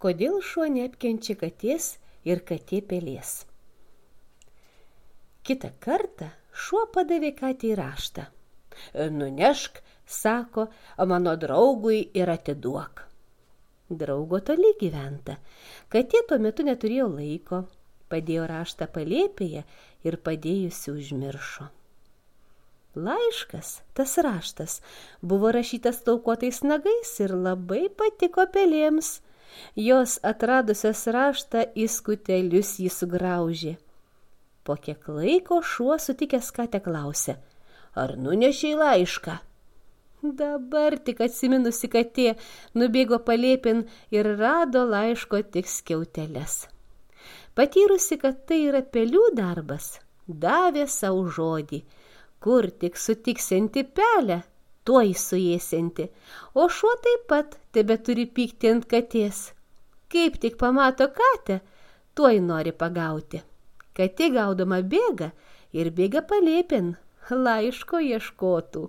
Kodėl šuo neapkenčia katės ir katė pelės? Kitą kartą šuo padavė katei raštą. Nunešk, sako, mano draugui ir atiduok. Draugo toli gyventa. Katė tuo metu neturėjo laiko, padėjo raštą palėpėje ir padėjusi užmiršo. Laiškas, tas raštas, buvo rašytas taukuotais nagais ir labai patiko pelėms. Jos atradusios raštą į skutelius jį sugraužė. Po kiek laiko šuo sutikęs katę klausė, ar nunešei laišką? Dabar tik atsiminusi katė nubėgo palėpin ir rado laiško tik skiauteles. Patyrusi, kad tai yra pelių darbas, davė savo žodį, kur tik sutiksianti pelę, tuoj suėsianti, o šuo taip pat tebeturi pykti ant katės. Kaip tik pamato katę, tuoj nori pagauti. Katė gaudama bėga ir bėga palėpin, laiško ieškotų.